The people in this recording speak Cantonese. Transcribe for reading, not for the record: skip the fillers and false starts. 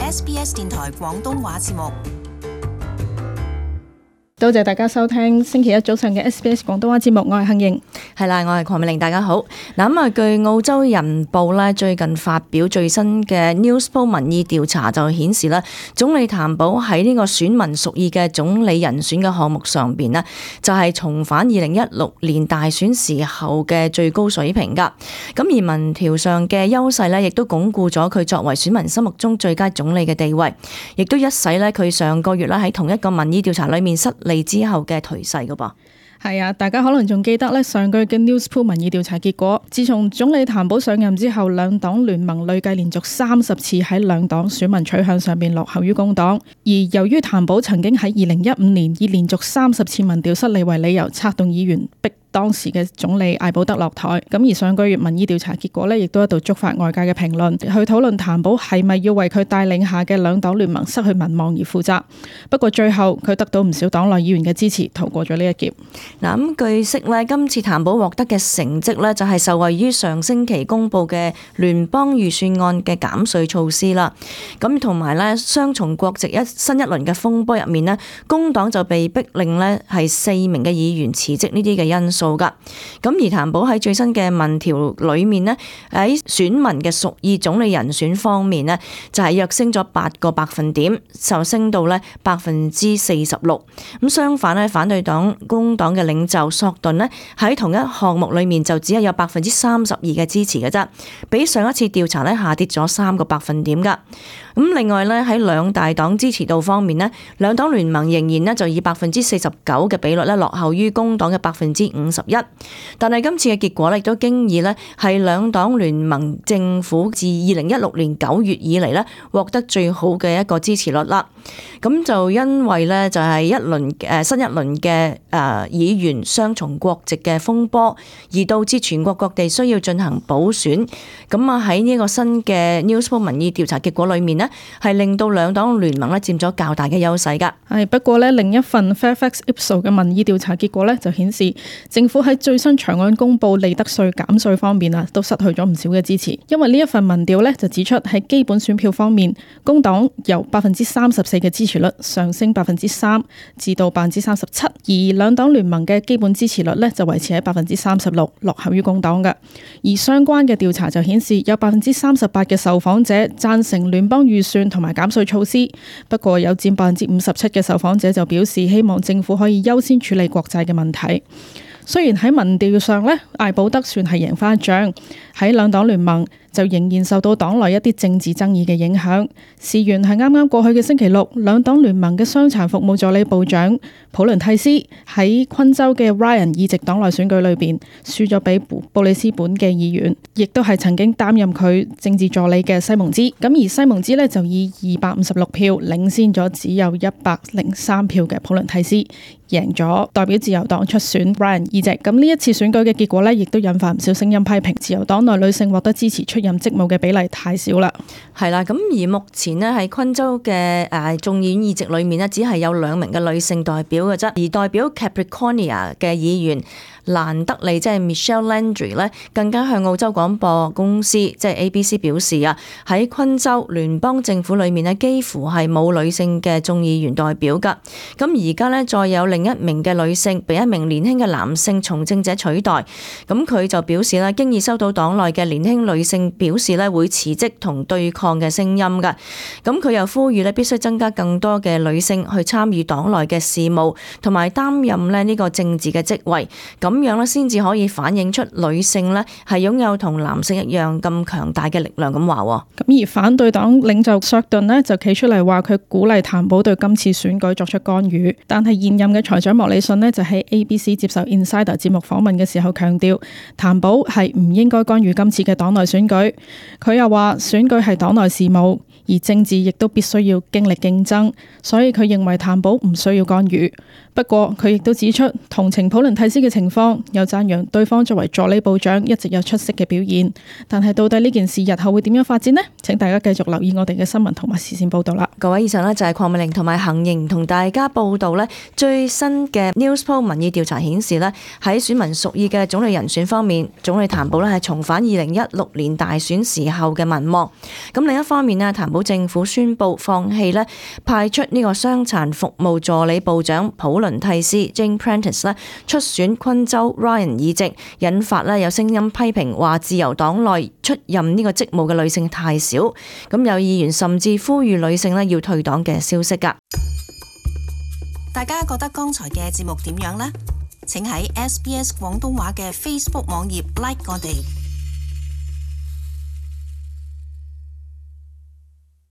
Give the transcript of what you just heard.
SBS 電台廣東話節目。多謝大家收聽星期一早上嘅 SBS 廣東話節目，我係杏瑩。係啦，我係鄺美玲，大家好。嗱咁啊，據澳洲人報咧最近發表最新嘅 Newspoll 民意調查就顯示咧，總理譚寶喺呢個選民屬意嘅總理人選嘅項目上邊呢，就係重返2016年大選時候嘅最高水平噶。咁而民調上嘅優勢呢，亦都鞏固咗佢作為選民心目中最佳總理嘅地位，亦都一洗呢佢上個月咧喺同一個民意調查裏面失利之後嘅頹勢噶噃。係啊，大家可能仲記得咧上個月嘅 Newspoll 民意調查結果，自從總理譚寶上任之後，兩黨聯盟累計連續30次喺兩黨選民取向上面落後於工黨。而由於譚寶曾經喺2015年以連續30次民調失利為理由，策動議員逼當時嘅總理艾保德落台。咁而上個月民意調查結果呢，亦都一度觸發外界嘅評論，去討論譚寶係咪要為佢帶領下嘅兩黨聯盟失去民望而負責。不過最後佢得到唔少黨內議員嘅支持，逃過咗呢一劫。嗱咁據悉呢，今次譚寶獲得嘅成績呢，就係受惠於上星期公布嘅聯邦預算案嘅減稅措施啦。咁同埋呢，雙重國籍新一輪嘅風波入面呢，工黨就被逼令呢係4名嘅議員辭職呢啲嘅因素噶。咁而譚寶喺最新嘅民調裏面呢，喺選民嘅屬意總理人選方面呢，就係躍升咗8個百分點，就升到呢46%。咁相反呢，反對黨工黨嘅領袖索頓呢，喺同一項目裏面就只係有32%嘅支持嘅啫，比上一次調查呢下跌咗3個百分點噶。咁另外呢，喺兩大黨支持度方面呢，兩黨聯盟仍然呢就以49%嘅比率呢落後於工黨嘅51%。但係今次嘅結果呢，亦都經已呢係兩黨聯盟政府自2016年9月以嚟呢獲得最好嘅一個支持率啦。咁就因為呢，就係新一輪嘅議員雙重國籍嘅風波，而導致全國各地需要進行補選。咁啊喺呢個新嘅 Newspoll 民意調查結果裏面呢，係令到兩黨聯盟呢佔咗較大嘅優勢噶。不過呢，另一份 Fairfax Ipsos 嘅民意調查結果呢，就顯示政府喺最新長按公布利得稅減稅方面啊，都失去咗唔少嘅支持。因為呢一份民調呢，就指出喺基本選票方面，工黨由34%嘅支持率上升3%至到37%，而兩黨聯盟嘅基本支持率呢，就維持喺36%，落後於工黨嘅。而相關嘅調查就顯示有38%嘅受訪者贊成聯邦預算同埋減稅措施，不過有佔57%嘅受訪者就表示希望政府可以優先處理國債嘅問題。雖然喺民調上呢，艾保德算係贏返一仗，喺兩黨聯盟就仍然受到黨內一啲政治爭議嘅影響。事緣係啱啱過去嘅星期六，兩黨聯盟嘅傷殘服務助理部長普倫蒂斯喺昆州嘅 Ryan 議席黨內選舉裏邊輸咗俾布里斯本嘅議員，亦都係曾經擔任佢政治助理嘅西蒙茲。咁而西蒙茲呢，就以256票領先咗只有103票嘅普倫蒂斯，贏咗代表自由黨出選 Ryan 議席。咁呢一次選舉嘅結果呢，亦都引發唔少聲音批評自由黨內女性獲得支持出任職務嘅比例太少啦。係啦，咁而目前呢，喺昆州嘅眾議院議席裏面呢，只係有2名嘅女性代表嘅啫，而代表 Capricornia 嘅議員蘭德利即係 Michelle Landry 咧，更加向澳洲廣播公司即係 ABC 表示啊，喺昆州聯邦政府裏面呢，幾乎係冇女性嘅眾議員代表噶。咁而家呢，再有另一名嘅女性被一名年輕嘅男性從政者取代。咁佢就表示咧，經已收到黨內嘅年輕女性表示咧會辭職同對抗嘅聲音噶。咁佢又呼籲咧必須增加更多嘅女性去參與黨內嘅事務，同埋擔任咧呢個政治嘅職位。咁樣咧先至可以反映出女性咧係擁有同男性一樣咁強大嘅力量咁話。咁而反對黨領袖索頓呢，就企出嚟話佢鼓勵譚寶對今次選舉作出干預，但係現任嘅財長莫里遜呢，就喺 ABC 接受 Insider 節目訪問嘅時候強調，譚寶係唔應該干預今次嘅黨內選舉。佢又話選舉係黨內事務，而政治亦都必須要經歷競爭，所以佢認為譚寶唔需要干預。不過佢亦都指出同情普倫蒂斯嘅情況，方，又讚揚對方作為助理部長一直有出色嘅表現。但係到底呢件事日後會點樣發展呢？請大家繼續留意我哋嘅新聞同埋時事報道啦。各位，以上呢就係鄺美玲同埋行瑩同大家報道呢最新嘅 Newspoll 民意調查顯示呢，喺選民屬意嘅總理人選方面，總理譚寶呢係重返2016年大選時候嘅民望。咁另一方面呢，譚寶政府宣布放棄呢派出呢個傷殘服務助理部長普倫蒂斯 Jane Prentice 呢出選昆州 Ryan 議席，引發呢有聲音批評話自由黨內出任呢個職務嘅女性太少。咁有議員甚至呼籲女性呢要退黨嘅消息㗎。大家覺得剛才嘅節目點樣呢？請喺SBS 廣東話嘅 Facebook 網頁 like 我哋。